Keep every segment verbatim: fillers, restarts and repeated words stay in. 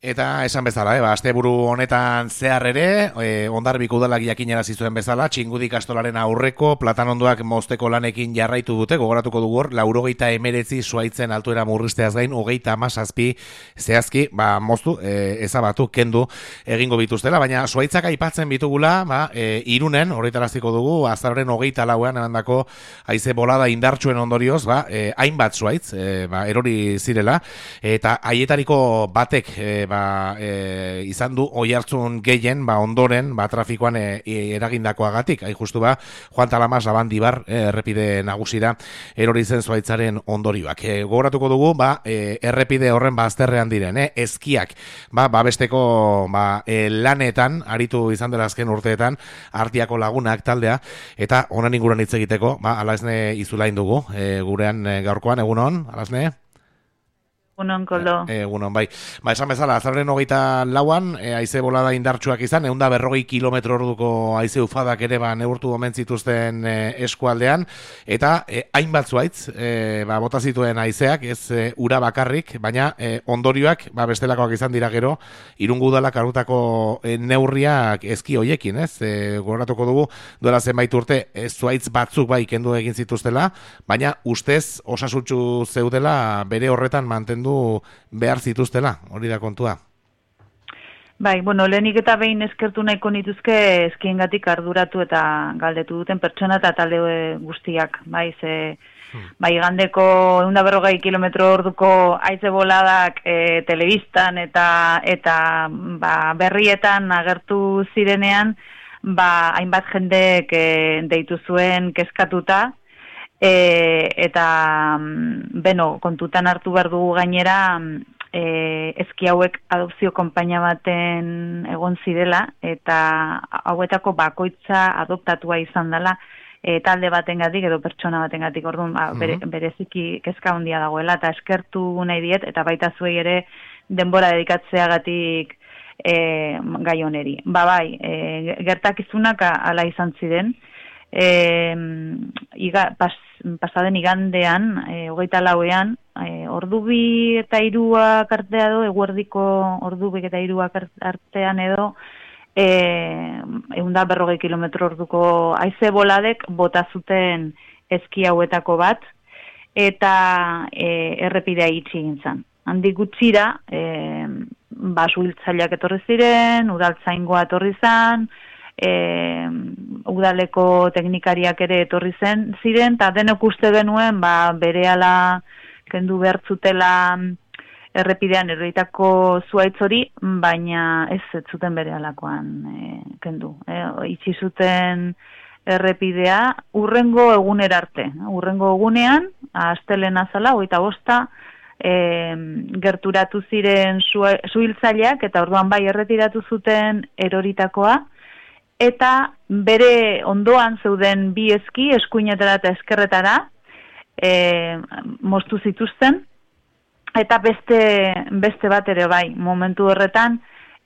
Eta esan bezala, eh, ba, asteburu honetan zehar ere, e, Hondarribiko udalak jakinarazi zuen bezala, Txingudi ikastolaren aurreko platanondoak mozteko lanekin jarraitu dute, gogoratuko dugu hor, laurogeita emeretzi zuaitzen altuera murrizteaz gain, hogeita hamazazpi zehazki, ba, moztu, e, ezabatu, kendu egingo bituztela, baina zuaitzak aipatzen bitugula, ba, e, Irunen, horretaraziko dugu, azaroren hogeita lauean emandako haize bolada indartsuen ondorioz, ba, e, hainbat zuaitz, e, ba, erori zirela, eta haietariko batek, e, ba, e, izan du oihartzun gehien, ba, ondoren, ba, trafikoan e, eragindakoagatik, hain justu ba, Juan Talamas Labandibar e, errepide nagusira erori zen zuaitzaren ondorioak. E, gogoratuko dugu, ba, e, errepide horren bazterrean diren, e, eskiak, ba, babesteko ba, e, lanetan, aritu izan dela azken urteetan, Artiako lagunak taldea, eta honen inguruan hitz egiteko, ba, Alasne Izulain dugu, e, gurean e, gaurkoan, egunon, Alasne? Egunon, Koldo. Egunon, bai. Ba, esan bezala, azarren hogeita lauan, e, haize bolada indartsuak izan, eunda berrogei kilometro orduko haize ufadak ere ba, neurtu omen zituzten e, eskualdean, eta e, hainbat zuaitz, e, ba, bota zituen haizeak, ez e, ura bakarrik, baina e, ondorioak, ba, bestelakoak izan dira gero, Irungo udalak hartutako e, neurriak eski hoiekin, ez? E, gogoratuko dugu, duela zenbait urte, e, zuaitz batzuk bai kendu egin zituztela, baina ustez osasutxu zeudela bere horretan mantendu behar zituztela, hori da kontua. Bai, bueno, lehenik eta behin eskertu nahiko nituzke eskiengatik arduratu eta galdetu duten pertsona eta talde guztiak, bai, ze hmm. bai, gandeko ehun eta berrogei kilometro orduko haize boladak e, telebistan eta eta ba, berrietan agertu zirenean, ba, hainbat jendek e, deitu zuen kezkatuta. E, eta, beno, kontutan hartu behar dugu gainera, e, eski hauek adopzio konpainia baten egon zirela, eta hauetako bakoitza adoptatua izan dela, e, talde batengatik edo pertsona batengatik, orduan, ba, bere, bereziki kezka handia dagoela, eta eskertu nahi diet, eta baita zuei ere denbora dedikatzeagatik e, gai honeri. Ba bai, e, gertakizunak ala izan ziren, E, iga, pas, pasaden igandean, e, hogeita lauean, e, ordu bi eta hiruak artea edo, eguerdiko ordu bi eta hiruak artean edo, e, ehun eta berrogei kilometro orduko haize boladek bota zuten eski hauetako bat, eta e, errepidea itxi egin zen. Handik gutxira, e, basuhiltzaileak etorri ziren, udaltzaingoa etorri zen, E, udaleko teknikariak ere etorri zen ziren, eta denok uste genuen ba, berehala kendu behartzutela errepidean erroitako zuaitz hori, baina ez ez zuten berehalakoan e, kendu. E, itxi zuten errepidea urrengo egunera arte. Urrengo egunean, astelehen azala, hogeita bosta, e, gerturatu ziren zuhiltzaileak, eta orduan bai erretiratu zuten eroritakoa, eta bere ondoan zeuden bi eski, eskuinetara eta eskerretara, e, moztu zituzten, eta beste, beste bat ere bai, momentu horretan,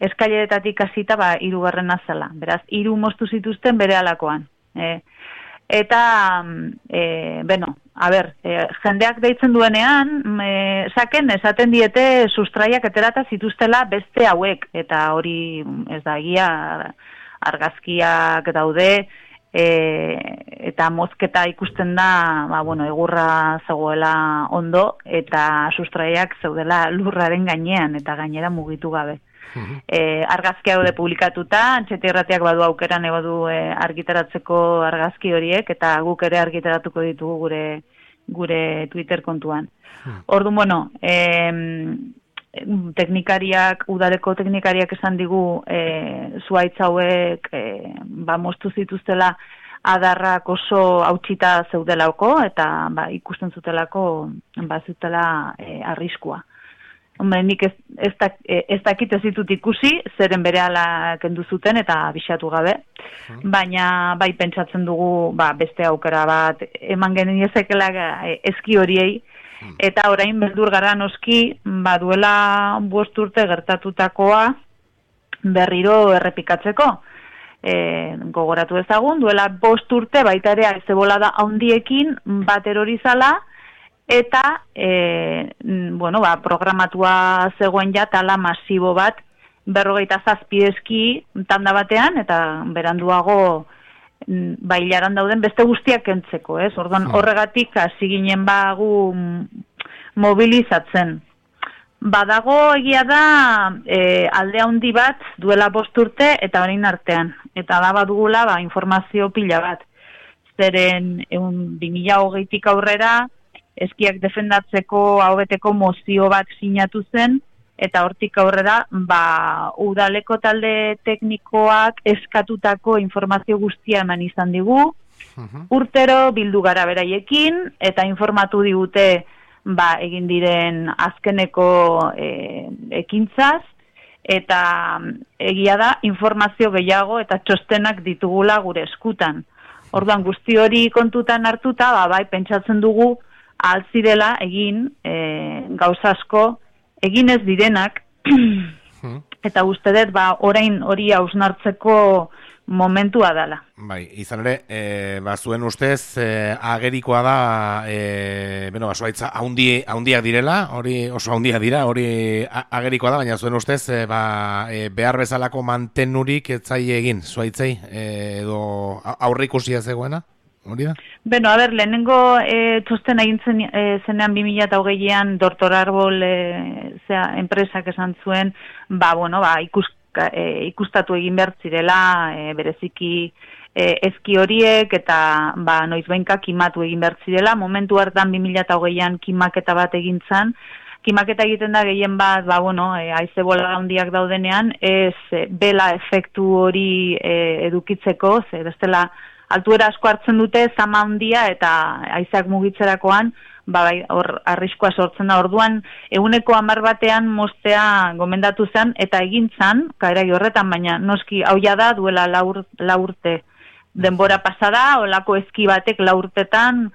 eskaileretatik hasita ba, hirugarren azala. Beraz, hiru moztu zituzten bere alakoan. E, eta, e, beno, a ber, e, jendeak deitzen duenean, e, saken esaten diete sustraiak eterata zituztela beste hauek, eta hori ez da egia, argazkiak daude, e, eta mozketa ikusten da, ba, bueno, egurra zegoela ondo, eta sustraiak zeudela lurraren gainean, eta gainera mugitu gabe. Uh-huh. E, argazkia daude publikatuta, Antxeta Irratiak badu aukeran badu e, argitaratzeko argazki horiek, eta guk ere argitaratuko ditugu gure, gure Twitter kontuan. Uh-huh. Orduan, bueno, e, teknikariak, udaleko teknikariak esan digu e, zuaitz hauek e, ba, moztu zituztela adarrak oso hautsita zeudelako eta ba, ikusten zutelako ba, zutela e, arriskua. Hombre, nik ez, ez, dak, ez dakit ez ditut ikusi, zeren berehala kendu zuten eta bisatu gabe, baina bai pentsatzen dugu ba, beste aukera bat eman geniezekela eski horiei, eta orain beldur gara noski, ba duela bost urte gertatutakoa berriro errepikatzeko. E, gogoratu ezagun, duela bost urte baita ere haize bolada handiekin bat erorizala, eta e, bueno, ba, programatua zegoen ja tala masibo bat, berrogeita zazpi eski tanda batean, eta beranduago bailaran dauden beste guztiak kentzeko, ez? Orduan horregatik hasi ginen bagu mobilizatzen. Badago egia da e, alde handi bat duela bost urte eta orain artean. Eta da badugula ba, informazio pila bat. Zeren egun bi mila hogeitik aurrera eskiak defendatzeko ahobeteko mozio bat sinatu zen, eta hortik aurrera ba, udaleko talde teknikoak eskatutako informazio guztia eman izan digu. Uh-huh. Urtero bildu gara beraiekin, eta informatu digute ba, egin diren azkeneko e, ekintzaz, eta egia da informazio gehiago eta txostenak ditugula gure eskutan. Orduan guzti hori kontutan hartuta, ba, bai, pentsatzen dugu altzirela egin e, gauza asko egin ez direnak, eta uste dut, ba, orain hori hausnartzeko momentua dela. Bai, izan ere, e, ba, zuen ustez, e, agerikoa da, e, bueno, ba, zuaitza haundiak direla, hori oso haundiak dira, hori agerikoa da, baina zuen ustez, e, ba, e, behar bezalako mantenurik etzai egin, zuaitzei, e, edo aurrikusia zegoena? Hori da? Beno, a ber, lehenengo e, txosten egin zen, e, zenean bi mila hogeian Doktor Arbol e, zera, enpresak esan zuen, ba, bueno, ba, ikus, e, ikustatu egin behar zirela, e, bereziki e, eski horiek, eta ba, noiz behinka kimatu egin behar zirela. Momentu hartan bi mila hogeian kimaketa bat egin zan, kimaketa egiten da gehien bat, ba, bueno, e, haize bola handiak daudenean, ez e, bela efektu hori e, edukitzeko, ze bestela altuera asko hartzen dute, zama handia eta haizeak mugitzerakoan, ba, bai, hor arriskoa sortzen da. Orduan, eguneko hamar batean mostea gomendatu zen, eta egin zan, kaerai horretan, baina noski hau ja da duela laur, laurte denbora pasada, olako eski batek laurtetan,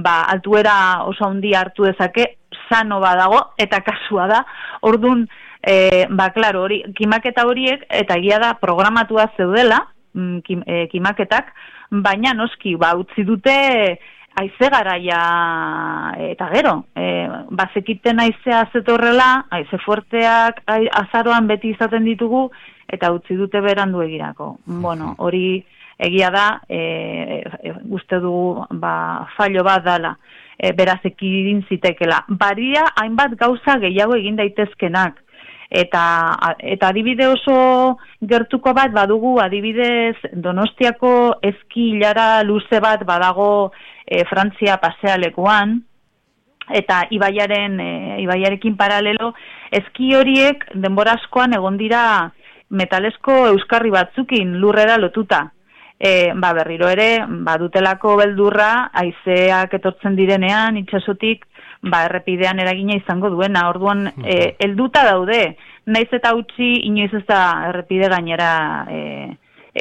ba, altuera oso handia hartu dezake, sano badago, eta kasua da. Orduan, e, ba, klaro, hori, kimaketa horiek, eta egia da programatua zeudela, kim, e, kimaketak, baina noski, ba, utzi dute haize garaia eta gero, e, bazekiten haizea zetorrela, haize fuerteak azaroan beti izaten ditugu, eta utzi dute berandu egirako. Bueno, hori egia da, e, e, uste dugu ba, fallo bat dala, e, beraz ekidin zitekela. Baria hainbat gauza gehiago egin daitezkenak, Eta, eta adibide oso gertuko bat badugu, adibidez Donostiako eski ilara luze bat badago e, Frantzia pasealekuan, eta ibaiaren, e, ibaiarekin paralelo, eski horiek denbora askoan egon dira metalesko euskarri batzukin lurrera lotuta. E, ba, berriro ere, badutelako beldurra, haizeak etortzen direnean, itsasotik, ba, errepidean eragina izango duena. Orduan, e, helduta daude, naiz eta utzi inoiz ez da errepide gainera e,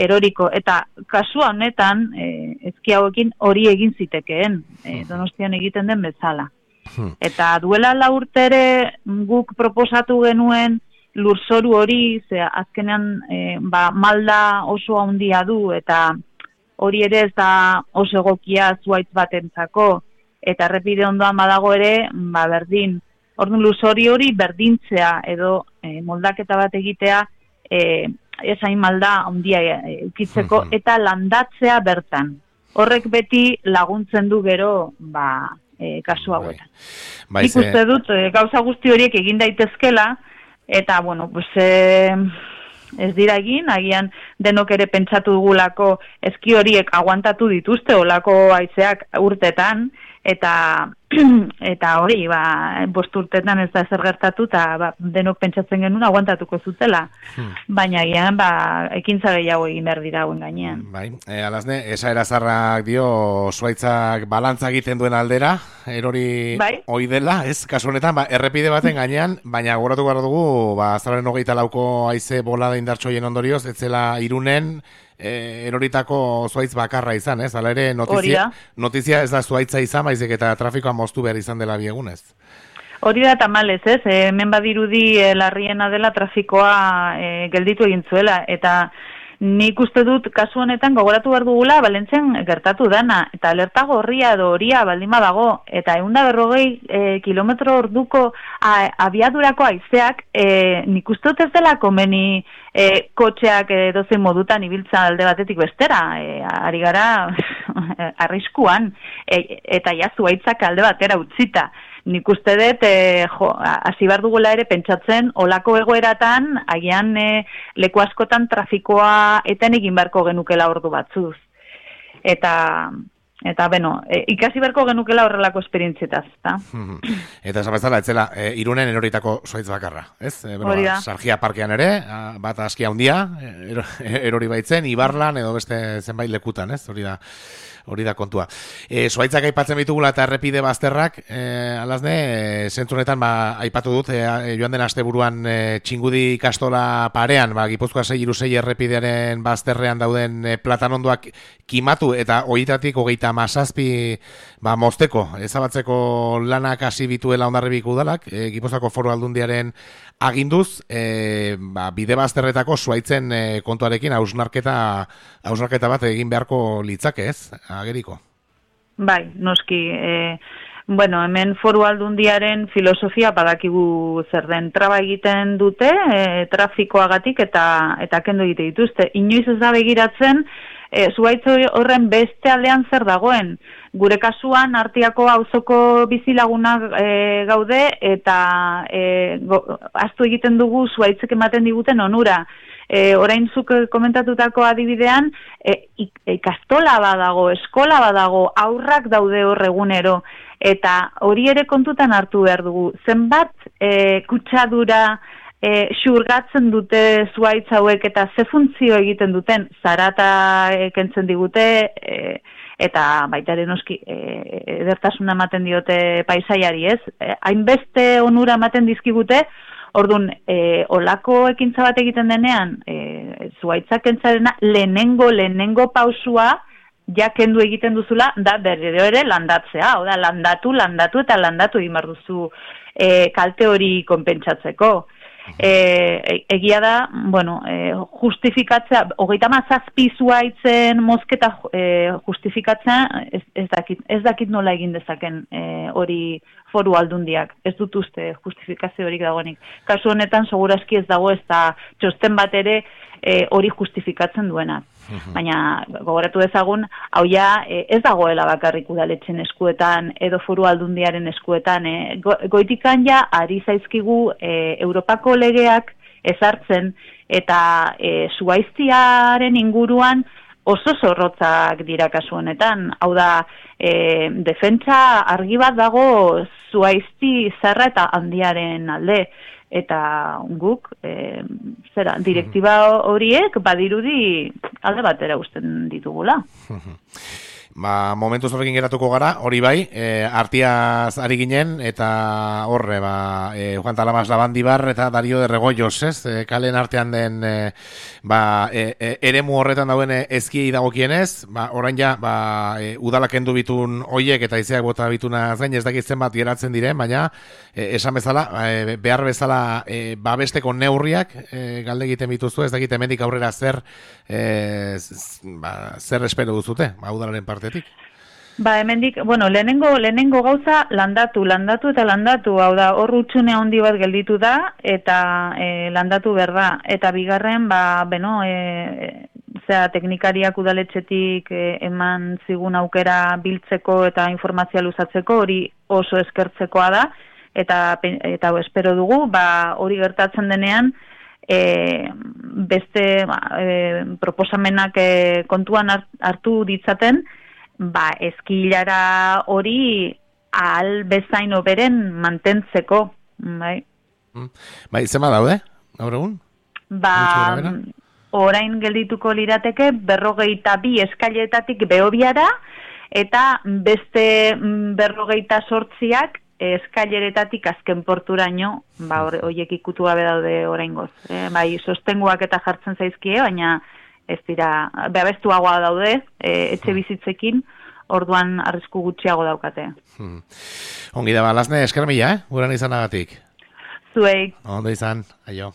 eroriko. Eta kasua honetan, e, eski hauekin hori egin zitekeen, e, Donostian egiten den bezala. Eta duela la urte ere guk proposatu genuen lurzoru hori, ze azkenean e, ba, malda oso handia du, eta hori ere ez da oso egokia zuaitz batentzako, eta errepide ondoan badago ere, ba, berdin. Orduan luzori hori berdintzea edo e, moldaketa bat egitea e, esain malda handia eukitzeko, eta landatzea bertan. Horrek beti laguntzen du gero, ba, e, kasu hauetan. Bai. Nik uste dut, e, gauza guzti horiek egin daitezkela, eta, bueno, pues, e, ez dira egin, agian denok ere pentsatu dugulako eski horiek aguantatu dituzte, olako haizeak urtetan, eta eta hori, ba, bost urtetan ez da zer gertatu, eta ba, denok pentsatzen genuen aguantatuko zutela. Hmm. Baina gian, ba, ekintza gehiago egin behar dira hauen gainean. Bai, e, alazne, esaera zarrak dio, zuaitzak balantza egiten duen aldera, erori bai? Hoi dela, ez, kasu honetan, ba, errepide baten gainean, baina gogoratu behar dugu, ba, azararen hogeita lauko haize bolada indartsoien ondorioz, ez zela Irunen, E, eroritako zuaitz bakarra izan, ez? Hala ere, notizia, notizia ez da zuaitza izan, baizik eta trafikoa moztu behar izan dela biegunez. Hori da tamalez, ez? E, hemen badirudi e, larriena dela trafikoa e, gelditu egin zuela, eta nik uste dut kasu honetan gogoratu behar dugula Valentzian gertatu dana, eta alerta gorria edo horia baldin badago, eta eunda berrogei e, kilometro orduko a, abiadurako haizeak, e, nik uste dut ez dela komeni e, kotxeak e, dozein modutan ibiltza alde batetik bestera, e, ari gara arriskuan, e, eta ja zuaitzak alde batera utzita. Nik uste dut, e, jo, hasi behar dugula ere pentsatzen, olako egoeratan, agian e, leku askotan trafikoa eten egin beharko genukela ordu batzuz. Eta, eta beno, e, ikasi beharko genukela horrelako esperientzietaz, eta? Eta esan bezala, etzela, e, Irunen eroritako zuaitz bakarra, ez? E, beno, ba, Sargia parkean ere, a, bat askia handia, ero, erori baitzen, Ibarlan edo beste zenbait lekutan, ez? Hori da. Hori da kontua. E, Zuaitzak aipatzen bitugula eta errepide bazterrak, e, alazne, e, zentzunetan ba, aipatu dut, e, joan den asteburuan e, Txingudi ikastola parean, ba, Gipuzkoa sei hiru sei errepidearen bazterrean dauden e, platanondoak kimatu eta horietatik hogeita hamazazpi ba, mozteko, ezabatzeko lanak hasi bituela Hondarribiko udalak, e, Gipuzkoako Foru Aldundiaren aginduz, e, ba, bide bazterretako zuaitzen e, kontuarekin hausnarketa hausnarketa bat egin beharko litzake, ez? Ageriko. Bai, noski, e, bueno, hemen Foru Aldundiaren filosofia badakigu zer den, traba egiten dute, e, trafikoagatik eta eta kendu egite dituzte. Inoiz ez da begiratzen, e, zuaitz horren beste aldean zer dagoen. Gure kasuan Artiako auzoko bizilagunak e, gaude eta e, go, ahaztu egiten dugu zuaitzek ematen diguten onura. E, orain zuk komentatutako adibidean, e, ikastola badago, eskola badago, aurrak daude hor egunero, eta hori ere kontutan hartu behar dugu. Zenbat e, kutsadura e, xurgatzen dute zuaitz hauek eta ze funtzio egiten duten, zarata e, kentzen digute, e, eta baita ere noski e, edertasuna ematen diote paisaiari, ez? E, hainbeste onura ematen dizkigute. Orduan, e, olako ekintza bat egiten denean, e, zuaitzak kentzarena lehenengo, lehenengo pausua ja kendu egiten duzula, da berriro ere landatzea, hau da, landatu, landatu eta landatu egin behar duzu e, kalte hori konpentsatzeko. E, egia da, bueno, e, justifikatzea, hogeita hamazazpi zuaitzen mozketa e, justifikatzea, ez, ez, dakit, ez dakit nola egin dezaken hori e, Foru Aldundiak, ez dut uste justifikazio horik dagoenik. Kasu honetan, segurazki ez dago, ez da txosten bat ere hori e, justifikatzen duena. Baina, gogoratu dezagun, hau ja e, ez dagoela bakarrik udaletxen eskuetan edo Foru Aldundiaren eskuetan. E, go, goitikan ja, ari zaizkigu e, Europako legeak ezartzen eta e, zuaiztiaren inguruan oso zorrotzak dira kasu honetan. Hau da, e, defentsa argi bat dago zuaizti zarra eta handiaren alde. Eta guk, e, zera, direktiba horiek badirudi alde batera uzten ditugula. Ba, momentuz horrekin geratuko gara, hori bai, e, Artiaz ari ginen, eta horre, ba, e, Juan Talamas Labandibar eta Dario de Regoyos, ez? E, kalen artean den, e, ba, e, e, eremu horretan dauen ezkiei dagokienez, ba, orain ja, ba, e, udalak endu bitun hoiek eta izeak bota bituna zain, ez dakit zenbat geratzen diren, baina, e, esan bezala, e, behar bezala, e, babesteko neurriak, e, galde egiten bituzu, ez dakit hemendik aurrera zer, e, z, ba, zer espero duzute, ba, udalaren parte. Ba, hemendik, bueno, lehenengo, lehenengo gauza landatu, landatu eta landatu, hau da, hor utxune handi bat gelditu da, eta e, landatu behar da, eta bigarren, ba, beno, e, zera, teknikariak udaletxetik e, eman zigun aukera biltzeko eta informazioa luzatzeko, hori oso eskertzekoa da, eta, eta espero dugu, ba, hori gertatzen denean, e, beste ba, e, proposamenak e, kontuan hartu ditzaten, ba, eskilara hori ahal bezain oberen mantentzeko, bai. Bai, zema daude, gaur egun? Ba, orain geldituko lirateke berrogeita bi eskailetatik behobiara, eta beste berrogeita sortziak eskaileretatik azken porturaino, ba, horiek ikutu gabe daude oraingoz. E, bai, sostenguak eta jartzen zaizkie, baina ez dira, behabestuagoa daude, e, etxe bizitzekin, orduan arrisku gutxiago daukate. Hmm. Ongi da, ba, Lasne, esker mila, eh? Guran izanagatik. Zuei. Ondo izan, aio.